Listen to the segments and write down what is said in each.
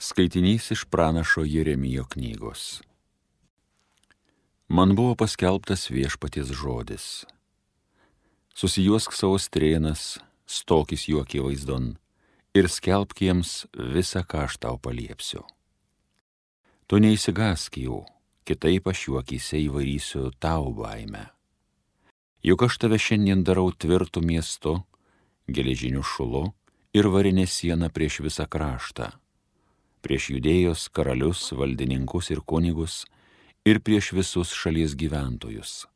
Skaitinys iš pranašo Jeremijo knygos. Man buvo paskelbtas Viešpaties žodis. Susijuosk savo strėnas, stokis jų akivaizdon ir skelbk jiems visą, ką aš tau paliepsiu. Tu neįsigąsk jų, kitaip aš jų akyse įvarysiu tau baimę. Juk aš tave šiandien darau tvirtų miestu, geležiniu šulu ir varinė siena prieš visą kraštą, prieš Judėjos karalius, valdininkus ir kunigus ir prieš visus šalies gyventojus.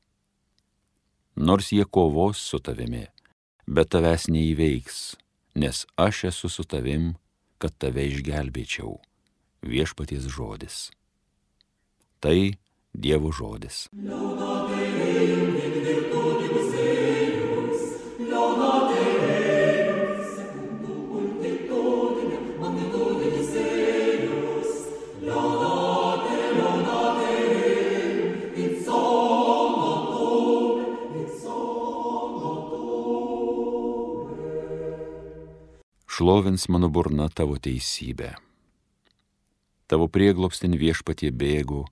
Nors jie kovos su tavimi, bet tavęs neįveiks, nes aš esu su tavim, kad tave išgelbėčiau. Viešpaties žodis. Tai Dievo žodis. Šlovins mano burna tavo teisybę. Tavo prieglobstin Viešpatie bėgu,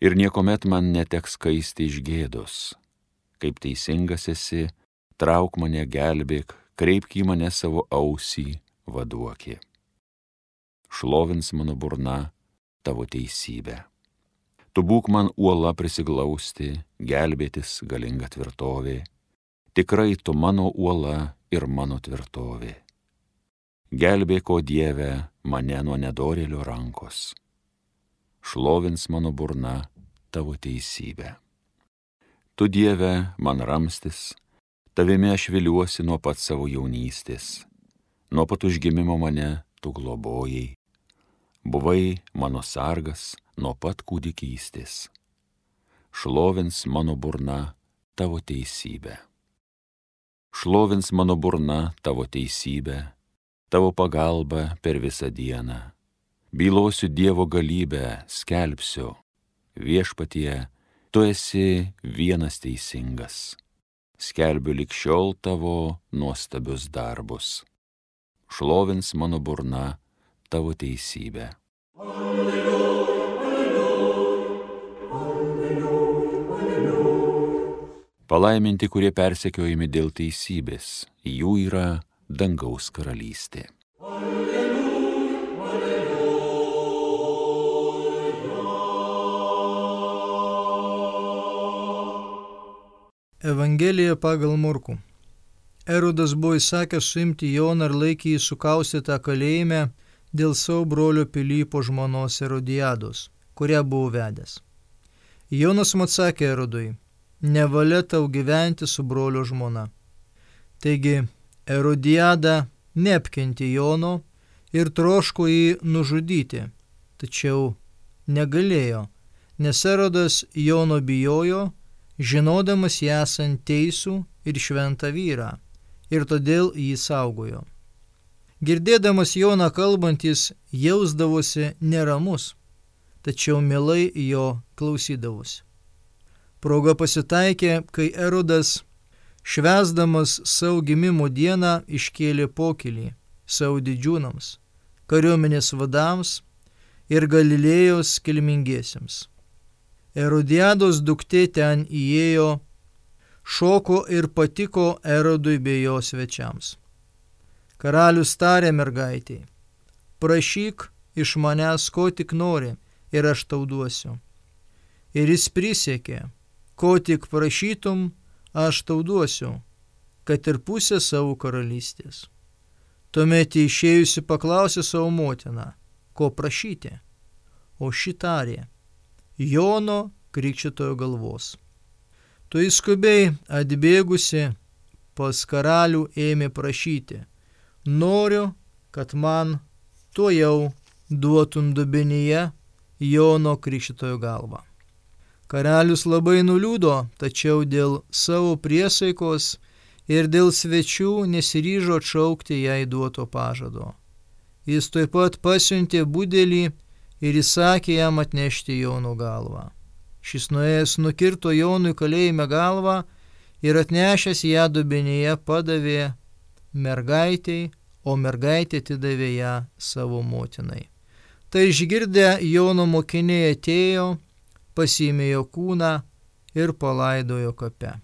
ir niekuomet man neteks kaisti iš gėdos. Kaip teisingas esi, trauk mane, gelbėk, kreipk į mane savo ausį, vaduoki. Šlovins mano burna tavo teisybę. Tu būk man uola prisiglausti, gelbėtis galinga tvirtovė. Tikrai tu mano uola ir mano tvirtovė. Gelbėk, o Dieve, mane nuo nedorėlio rankos. Šlovins mano burna tavo teisybę. Tu, Dieve, man ramstis, tavimi aš viliuosi nuo pat savo jaunystės. Nuo pat užgimimo mane tu globojai. Buvai mano sargas nuo pat kūdikystės. Šlovins mano burna tavo teisybę. Šlovins mano burna tavo teisybę, tavo pagalba per visą dieną. Bylosiu Dievo galybę, skelbsiu. Viešpatie, tu esi vienas teisingas. Skelbiu lig šiol tavo nuostabius darbus. Šlovins mano burna tavo teisybę. Alleluja, alleluja, alleluja. Palaiminti, kurie persekiojami dėl teisybės, jų yra dangaus karalystė. Alleluja, alleluja. Evangelija pagal Morkų. Erodas buvo įsakęs suimti Joną ir laikė jį sukaustytą kalėjime dėl savo brolio Pilypo žmonos Erodiados, kurią buvo vedęs. Jonas atsakė Erodui: nevalia tau gyventi su brolio žmona. Taigi Erodiada neapkentė Jono ir troško jį nužudyti, tačiau negalėjo, nes Erodas Jono bijojo, žinodamas jį esant teisų ir šventą vyrą, ir todėl jį saugojo. Girdėdamas Joną kalbant, jis jausdavosi neramus, tačiau mielai jo klausydavosi. Proga pasitaikė, kai Erodas švęsdamas savo gimimo dieną iškėlė pokylį savo didžiūnams, kariuomenės vadams ir Galilėjos kilmingiesiems. Erodiados duktė ten įėjo, šoko ir patiko Erodui bei jo svečiams. Karalius tarė mergaitei: prašyk iš manęs, ko tik nori, ir aš tau duosiu. Ir jis prisiekė: ko tik prašytum, aš tau duosiu, kad ir pusę savo karalystės. Tuomet išėjusi paklausė savo motiną: ko prašyti? O ši tarė: Jono Krikštytojo galvos. Tu skubiai atbėgusi pas karalių ėmė prašyti: noriu, kad man tuojau duotum dubenyje Jono Krikštytojo galvą. Karalius labai nuliūdo, tačiau dėl savo priesaikos ir dėl svečių nesiryžo atšaukti jai duoto pažado. Jis taip pat pasiuntė budelį ir įsakė jam atnešti Jono galvą. Šis nuėjęs nukirto Jonui kalėjime galvą ir atnešęs ją dubenyje padavė mergaitei, o mergaitė atidavė ją savo motinai. Tai išgirdę Jono mokiniai atėjo, pasiėmė jo kūną ir palaidojo kape.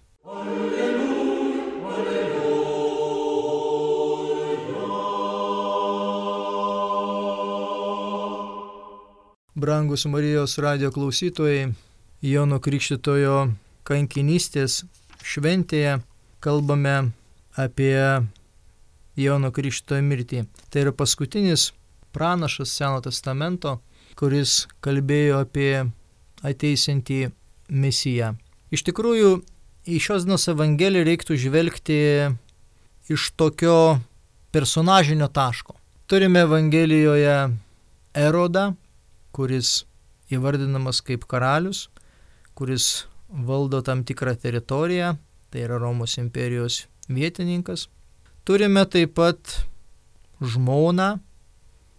Brangus Marijos radijo klausytojai, Jono Krikštytojo kankinystės šventėje kalbame apie Jono Krikštytojo mirtį. Tai yra paskutinis pranašas Seno testamento, kuris kalbėjo apie ateisiantį Mesiją. Iš tikrųjų, į šios dienos Evangeliją reiktų žvelgti iš tokio personažinio taško. Turime Evangelijoje Erodą, kuris įvardinamas kaip karalius, kuris valdo tam tikrą teritoriją, tai yra Romos imperijos vietininkas. Turime taip pat žmoną,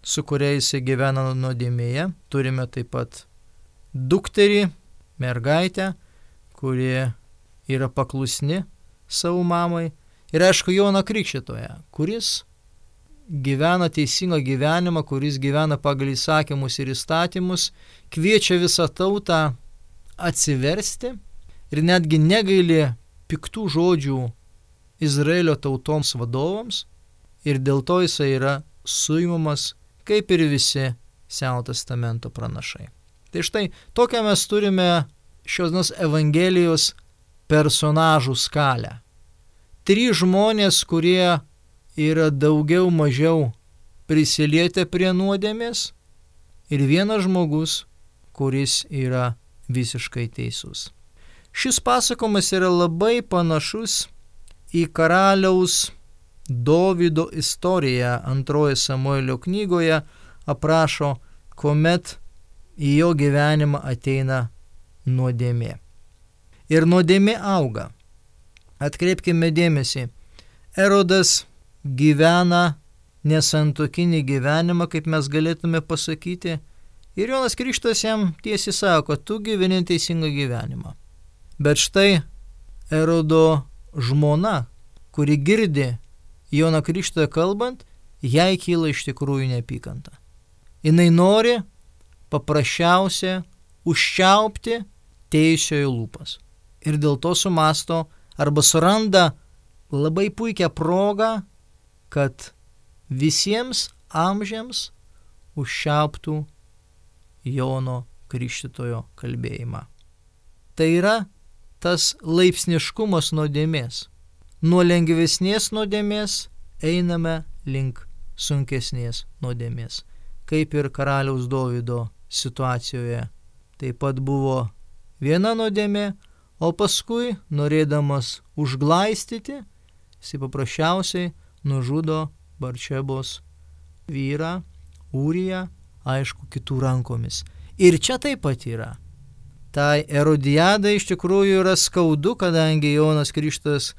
su kuria jisai gyvena nuodėmėje. Turime taip pat dukterį, mergaitę, kuri yra paklusni savo mamai. Ir aišku, Joną Krikštytoją, kuris gyvena teisingą gyvenimą, kuris gyvena pagal įsakymus ir įstatymus, kviečia visą tautą atsiversti ir netgi negaili piktų žodžių Izraelio tautoms vadovams, ir dėl to jisai yra suimamas, kaip ir visi Seno testamento pranašai. Tai štai tokią mes turime šios dienos Evangelijos personažų skalę. 3 žmonės, kurie yra daugiau mažiau prisilietę prie nuodėmės, ir 1 žmogus, kuris yra visiškai teisus. Šis pasakojimas yra labai panašus į karaliaus Dovydo istoriją. 2 Samuelio knygoje aprašo, kuomet į jo gyvenimą ateina nuodėmė. Ir nuodėmė auga. Atkreipkime dėmesį, Erodas gyvena nesantuokinį gyvenimą, kaip mes galėtume pasakyti, ir Jonas Krikštytojas jam tiesiai sako, tu gyveni teisingą gyvenimą. Bet štai Erodo žmona, kuri girdi Joną Krikštytoją kalbant, jai kyla iš tikrųjų neapykanta. Jinai nori paprasčiausia užčiaupti teisiojo lūpas. Ir dėl to sumasto arba suranda labai puikią progą, kad visiems amžiams užčiauptų Jono Krikštytojo kalbėjimą. Tai yra tas laipsniškumas nuodėmės. Nuo lengvesnės nuodėmės einame link sunkesnės nuodėmės. Kaip ir karaliaus Dovydo situacijoje. Taip pat buvo viena nuodėmė, o paskui, norėdamas užglaistyti, jis paprasčiausiai nužudo Barčebos vyrą, Ūriją, aišku, kitų rankomis. Ir čia taip pat yra. Tai Erodijadai iš tikrųjų yra skaudu, kadangi Jonas Krikštytojas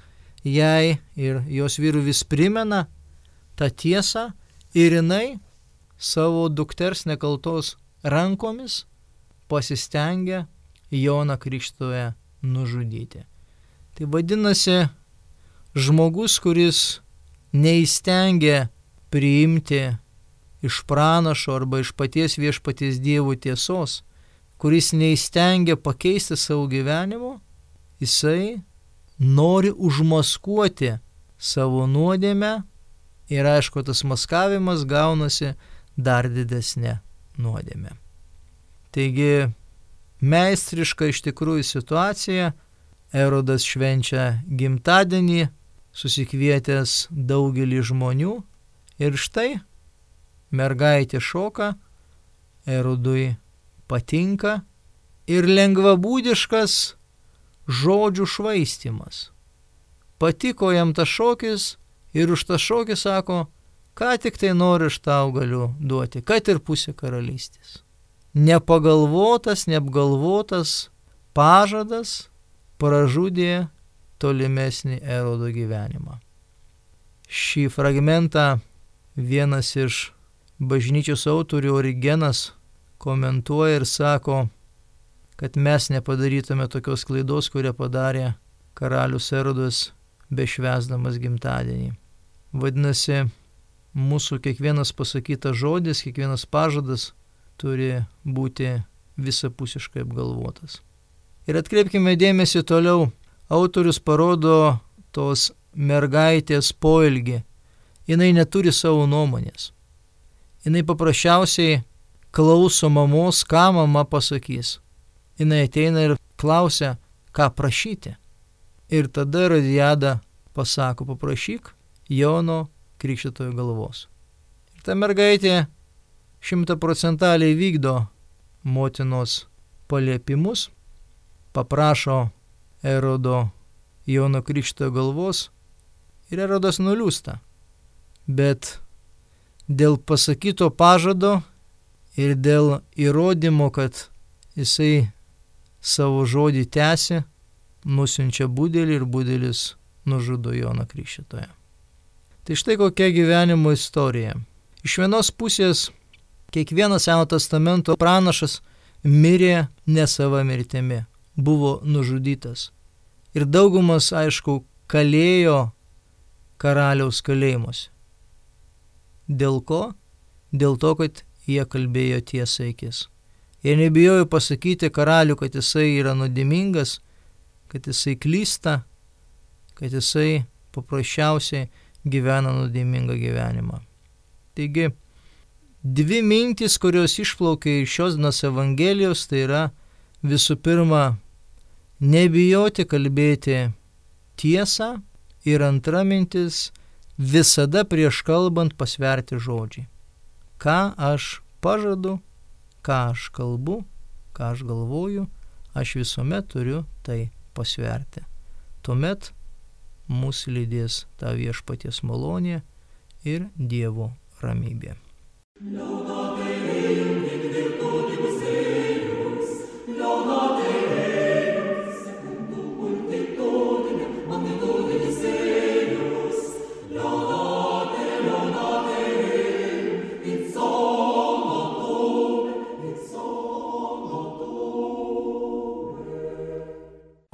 jai ir jos vyrų vis primena tą tiesą, ir jinai savo dukters nekaltos rankomis pasistengia Joną Krikštytoją nužudyti. Tai vadinasi, žmogus, kuris neįstengia priimti iš pranašo arba iš paties viešpaties Dievo tiesos, kuris neįstengia pakeisti savo gyvenimo, jisai nori užmaskuoti savo nuodėmę, ir aišku, tas maskavimas gaunasi dar didesnė nuodėmė. Taigi, meistriška iš tikrųjų situacija. Erodas švenčia gimtadienį, susikvietęs daugelį žmonių, ir štai mergaitė šoka, Erodui patinka, ir lengvabūdiškas žodžių švaistymas. Patiko jam tas šokis, ir už tą šokį sako, ką tik tai nori aš tau galiu duoti, kad ir pusę karalystės. Nepagalvotas, neapgalvotas pažadas pražudė tolimesnį Erodo gyvenimą. Šį fragmentą vienas iš bažnyčios autorių Origenas komentuoja ir sako, kad mes nepadarytume tokios klaidos, kurią padarė karalius Erodas bešvęsdamas gimtadienį. Vadinasi, mūsų kiekvienas pasakytas žodis, kiekvienas pažadas turi būti visapusiškai apgalvotas. Ir atkreipkime dėmesį toliau, autorius parodo tos mergaitės poelgį. Jinai neturi savo nuomonės. Jinai paprasčiausiai klauso mamos, ką mama pasakys. Jinai ateina ir klausia, ką prašyti. Ir tada Erodiada pasako, paprašyk Jono Krikštytojo galvos. Ir ta mergaitė 100% vykdo motinos paliepimus, paprašo Erodo Jono Krikštytojo galvos ir Erodas nuliūsta. Bet dėl pasakyto pažado ir dėl įrodymo, kad jisai savo žodį tęsi, nusiunčia budelį ir budelis nužudo Joną Krikštytoją. Tai štai kokia gyvenimo istorija. Iš vienos pusės kiekvienas Senojo testamento pranašas mirė ne sava mirtimi, buvo nužudytas. Ir daugumas, aišku, kalėjo karaliaus kalėjimuose. Dėl ko? Dėl to, kad jie kalbėjo tiesą akis. Jie nebijojo pasakyti karalių, kad jisai yra nuodėmingas, kad jisai klysta, kad jisai paprasčiausiai gyvena nuodėmingą gyvenimą. Taigi, dvi mintys, kurios išplaukia iš šios dienos Evangelijos, tai yra visų pirma, nebijoti kalbėti tiesą ir antra mintis, visada prieš kalbant pasverti žodžiai. Ką aš pažadu, ką aš kalbu, ką aš galvoju, aš visuomet turiu tai pasverti. Tuomet mūsų lydės ta viešpaties malonė ir Dievo ramybė.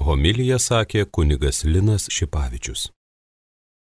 Homiliją sakė kunigas Linas Šipavičius.